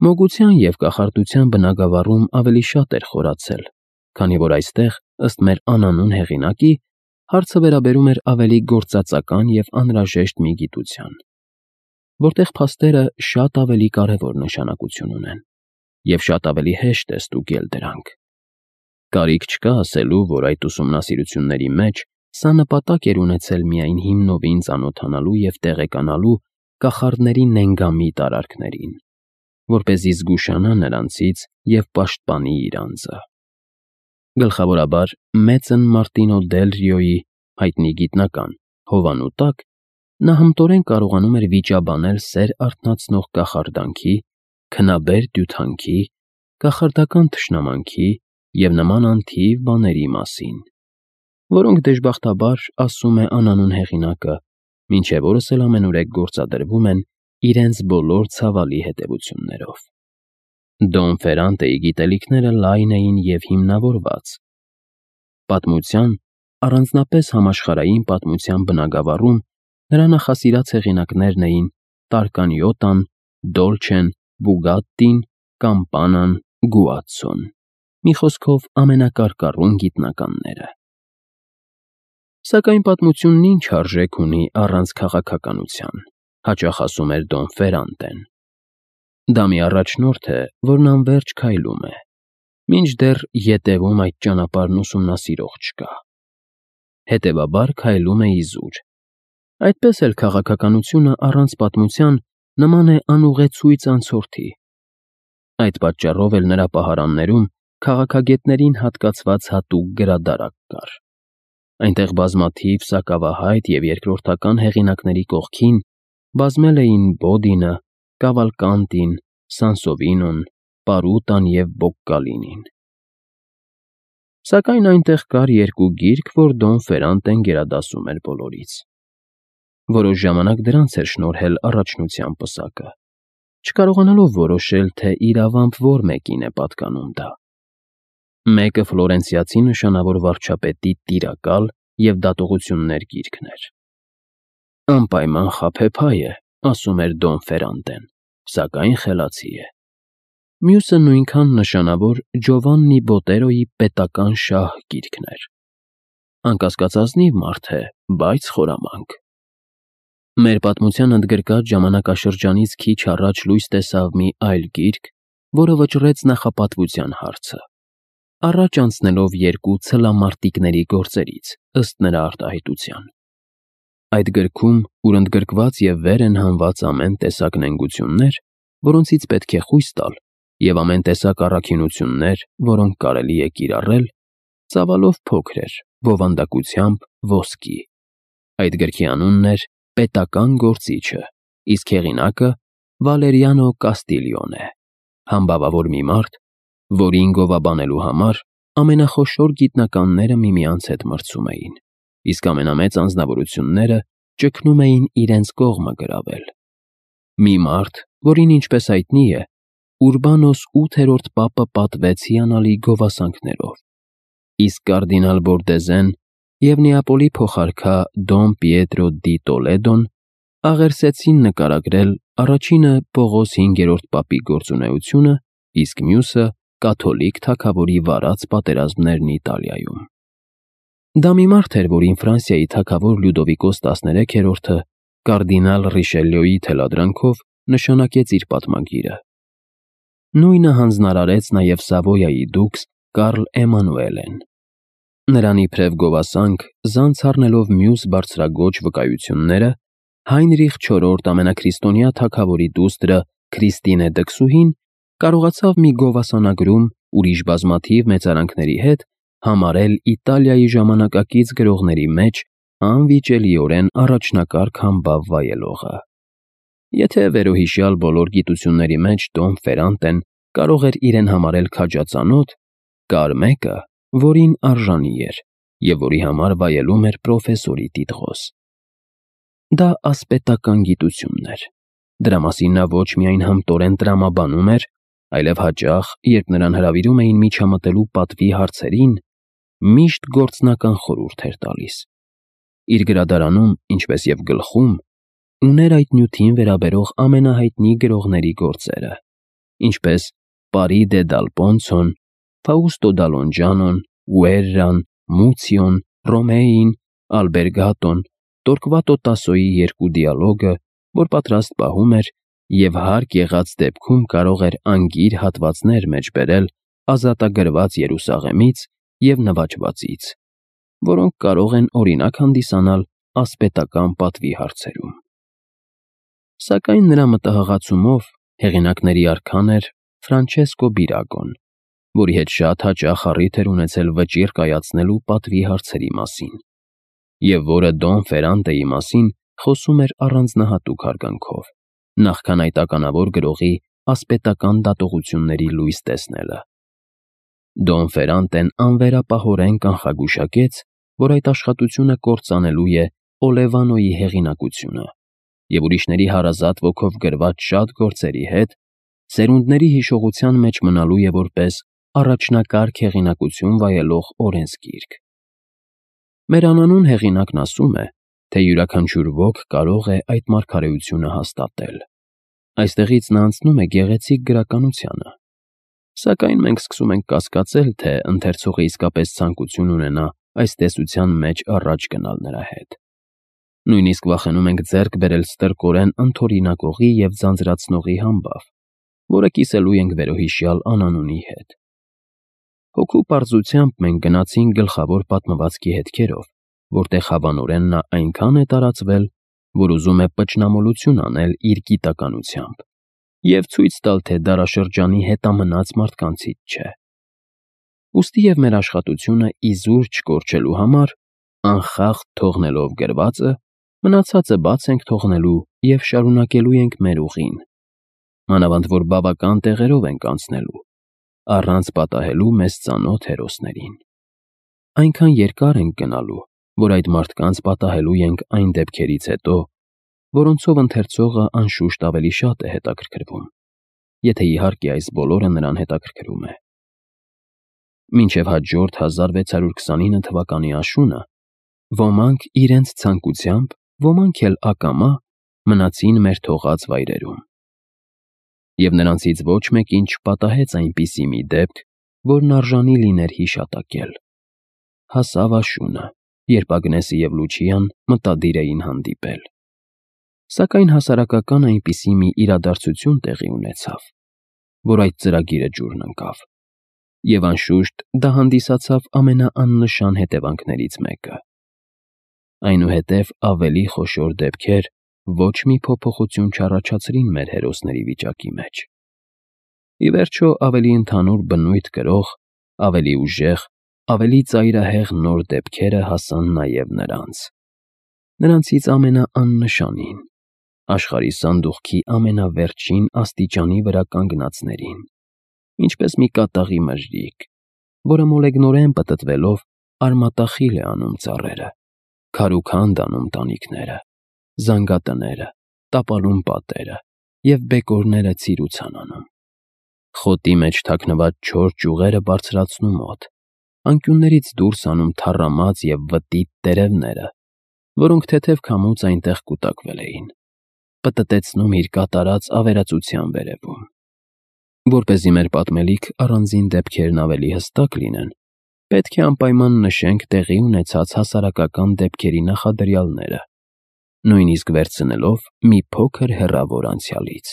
Մոգության և կախարդության բնագավառում ավելի շատ էր խորացել, քանի որ այստեղ, ըստ մեր անանուն հեղինակի, հարցը վերաբերում էր ավելի գործածական և անհրաժեշտ մի գիտության, որտեղ փաստերը շատ ավելի կարևոր նշանակություն ունեն, և շատ ավելի հեշտ է ստուգել դրանք։ Կարիք չկա ասելու, որ այդ ուսումնասիրությունների մեջ սա նպատակ էր ունեցել միայն հիմնովին ծանոթանալու և տեղեկանալու կախարդների նենգամիտ արարքներին, որպեսզի զգուշանա նրանցից և պաշտպանի իր անձը։ Գլխավորաբար, մեծն Մարտինո դել Ռիոյի հայտնի գիտնական հովանու տակ նա հմտորեն կարողանում էր վիճաբանել սեր արթնացնող կախարդանքի, քնաբեր դյութանքի, կախարդական թշնամանքի և նման անթիվ բաների մասին, որոնք դժբախտաբար, ասում է անանուն հեղինակը, մինչև օրս էլ ամենուրեք գործադրվում են իրենց բոլոր ցավալի հետևություններով։ Դոն Ֆերանտեի գիտելիքները լայն էին և հիմնավորված։ Պատմության, առանձնապես համաշխարհային պատմության բնագավառում նրա նախասիրած հեղինակներն էին Տարկանյոտան, Դոլչեն, Բուգատտին, Կամպանան, Գուացցոն, մի խոսքով ամենակարկառուն գիտնականները։ Սակայն պատմությունն ինչ արժեք ունի առանց քաղաքականության, հաճախ ասում էր Դոն Ֆերանտեն։ Դա մի առաջնորդ է, որն անվերջ քայլում է, մինչդեռ ետևում այդ ճանապարհն ուսումնասիրող չկա։ Հետևաբար քայլում է իզուր։ Այդպես էլ քաղաքականությունը առանց պատմության նման է անուղեցույց անցորդի։ Այդ պատճառով էլ նրա պահարաններում քաղաքագետներին հատկացված հատուկ գրադարան կար։ Այնտեղ բազմաթիվ սակավահայտ և երկրորդական հեղինակների կողքին բազմել էին Բոդինը, Կավալկանտին, Սանսովինոն, Պարուտան և Բոկկալինին։ Սակայն այնտեղ կար երկու գիրք, որ Դոն Ֆերանտեն գերադասում էր բոլորից։ Որոշ ժամանակ դրանց էր շնորհել առաջնության պսակը, չկարողանալով որոշել, թե իրավամբ որ մեկին է պատկանում դա։ Մեկը ֆլորենցիացի նշանավոր վարչապետի տիրակալ և դատողություններ գիրքն էր։ Անպայման խաբեբայ է, ասում էր Դոն Ֆերանտեն, սակայն խելացի է։ Մյուսը նույնքան նշանավոր Ջովաննի Բոտերոյի պետական շահ գիրքն էր։ Անկասկած ազնիվ մարդ է, բայց խորամանկ։ Մեր պատմության ընդգրկած ժամանակաշրջանից քիչ առաջ լույս տեսավ մի այլ գիրք, որը վճռեց նախապատվության հարցը, առաջ անցնելով երկու ցլամարտիկների գործերից, ըստ նրա արտահայտության։ Այդ գրքում, ուր ընդգրկված և վեր են հանված ամեն տեսակ նենգություններ, որոնցից պետք է խույս տալ, և ամեն տեսակ առաքինություններ, որոնք կարելի է կիրառել, ծավալով փոքր էր, բովանդակությամբ ոսկի։ Այդ գրքի անունն էր «Պետական գործիչը», իսկ հեղինակը Վալերիանո Կաստիլիոն է, համբավավոր մի մարդ, որին գովաբանելու համար ամենախոշոր գիտնականները միմյանց հետ մրցում էին, իսկ ամենամեծ անձնավորությունները ճգնում էին իրենց կողմը գրավել։ Մի մարդ, որին, ինչպես հայտնի է, Ուրբանոս 8-րդ պապը պատվեց հիանալի գովասանքներով, իսկ կարդինալ Բորդեզեն և Նեապոլի փոխարքա Դոն Պիետրո դի Տոլեդոն աղերսեցին նկարագրել առաջինը Պողոս 5-րդ պապի գործունեությունը, իսկ մյուսը կաթոլիկ թագավորի վարած պատերազմներն Իտալիայում։ Դա մի մարդ էր, որին Ֆրանսիայի թագավոր Լյուդովիկոս 13-րդը կարդինալ Ռիշելյոյի թելադրանքով նշանակեց իր պատմագիրը։ Նույնը հանձնարարեց նաև Սավոյայի դուքս Կարլ Էմանուելեն։ Նրան իբրև գովասանք, զանց առնելով մյուս բարձրագոչ վկայությունները, Հայնրիխ IV ամենաքրիստոնյա թագավորի դուստրը Քրիստինե Դքսուհին կարողացավ մի գովասանագրում ուրիշ բազմաթիվ մեծարանքների հետ համարել Իտալիայի ժամանակակից գրողների մեջ անվիճելիորեն առաջնակարգ համբավ վայելողը։ Եթե վերոհիշյալ բոլոր գիտությունների մեջ Դոն Ֆերանտեն կարող էր իրեն համարել քաջածանոթ, կար մեկը, որին արժանի էր և որի համար վայելում էր պրոֆեսորի տիտղոս։ Դա ասպետական գիտությունն էր։ Դրա մասին նա ոչ միայն հմտորեն տրամաբանում էր, այլև հաճախ, երբ նրան հրավիրում էին միջամտելու պատվի հարցերին, միշտ գործնական խորհուրդ էր տալիս։ Իր գրադարանում, ինչպես և գլխում, ուներ այդ նյութին վերաբերող ամենահայտնի գրողների գործերը, ինչպես Պարի դե դալ Պոնցոն, Ֆաուստո Դալոնջանոն, Ուերրան, Մուցիոն, Ռոմեին, Ալբերգատոն, Տորկվատո Տասոյի երկու դիալոգը, որ պատրաստ պահում էր և հարկ եղած դեպքում կարող էր անգիր հատվածներ մեջ բերել ազատագրված Երուսաղեմից և նվաճվածից, որոնք կարող են օրինակ հանդիսանալ ասպետական պատվի հարցերում։ Սակայն նրա մտահղացումով հեղինակների արքան էր Ֆրանչեսկո Բիրագոն, որի հետ շատ հաճախ առիթ էր ունեցել վճիռ կայացնելու պատվի հարցերի մասին, և որը Դոն Ֆերանտեի մասին խոսում էր առանձնահատուկ հարգանքով, նախքան այդ ականավոր գրողի ասպետական դատողությունների լույս տեսնելը։ Դոն Ֆերանտեն անվերապահորեն կանխագուշակեց, որ այդ աշխատությունը կործանելու է Օլևանոյի հեղինակությունը և ուրիշների հարազատ ոգով գրված շատ գործերի հետ սերունդների հիշողության մեջ մնալու է որպես առաջնակարգ հեղինակություն վայելող օրենսգիրք։ Մեր անանուն հեղինակն ասում է, թե յուրաքանչյուր ոք կարող է այդ մարգարեությունը հաստատել։ Այստեղից նա անցնում է գեղեցիկ գրականությանը։ Սակայն մենք սկսում ենք կասկածել, թե ընթերցողը իսկապես ցանկություն ունենա այս տեսության մեջ առաջ գնալ նրա հետ։ Նույնիսկ վախենում ենք ձեռք բերել ստրկորեն ընդօրինակողի և ձանձրացնողի համբավ, որը կիսելու ենք վերոհիշյալ անանունի հետ։ Հոգու պարզությամբ մենք գնացինք գլխավոր պատմվածքի հետքերով, որտեղ հավանորեն նա այնքան է տարածվել, որ ուզում է պճնամոլություն անել իր գիտականությամբ և ցույց տալ, թե դարաշրջանի հետամնաց մարդկանցից չէ։ Ուստի և մեր աշխատությունը իզուր չկորչելու համար, անխախտ թողնելով գրվածը, մնացածը բաց ենք թողնելու և շարունակելու ենք մեր ուղին, մանավանդ որ բավական տեղերով ենք անցնելու, առանց պատահելու մեզ ծանոթ հերոսներին։ Այնքան երկար ենք գնալու, որ այդ մարդկանց պատահելու ենք այն դեպքերից հետո, որոնցով ընթերցողը անշուշտ ավելի շատ է հետաքրքրվում, եթե իհարկե այս բոլորը նրան հետաքրքրում է։ Մինչև հաջորդ 1629 թվականի աշունը ոմանք իրենց ցանկությամբ, ոմանք էլ ակամա մնացին մեր թողած վայրերում։ Եվ նրանցից ոչ մեկին չպատահեց այնպիսի մի դեպք, որն արժանի լիներ հիշատակել։ Հասավ աշունը, երբ Ագնեսը և Լուչիան մտադիր էին հանդիպել։ Սակայն հասարակական այնպիսի մի իրադարձություն տեղի ունեցավ, որ այդ ծրագիրը ջուրն ընկավ, և անշուշտ դա հանդիսացավ ամենաաննշան հետևանքներից մեկը։ Այնուհետև ավելի խոշոր դեպքեր ոչ մի փոփոխություն չառաջացրին մեր հերոսների վիճակի մեջ։ Ի վերջո, ավելի ընդհանուր բնույթ կրող, ավելի ուժեղ, ավելի ծայրահեղ նոր դեպքերը հասան նաև նրանց։ Նրանցից ամենաաննշանին, աշխարհի սանդուղքի ամենավերջին աստիճանի վրա կանգնածներին, ինչպես մի կատաղի մժրիկ, որը մոլեգնորեն պտտվելով արմատախիլ է անում ծառերը, քարուքանդ անում տանիքները, զանգատները, տապալում պատերը և բեկորները ցիրուցան անում։ Խոտի մեջ թաքնված չոր ճյուղերը բարձրացնում օդ, անկյուններից դուրս անում թառամած և վտիտ տերևները, որոնք թեթև քամուց այնտեղ կուտակվել էին, պտտեցնում իր կատարած ավերածության վերևում։ Որպեսզի մեր պատմելիք առանձին դեպքերն ավելի հստակ լինեն, պետք է անպայման նշենք տեղի ունեցած հասարակական դեպքերի նախադրյալները, նույնիսկ վերցնելով մի փոքր հեռավոր անցյալից։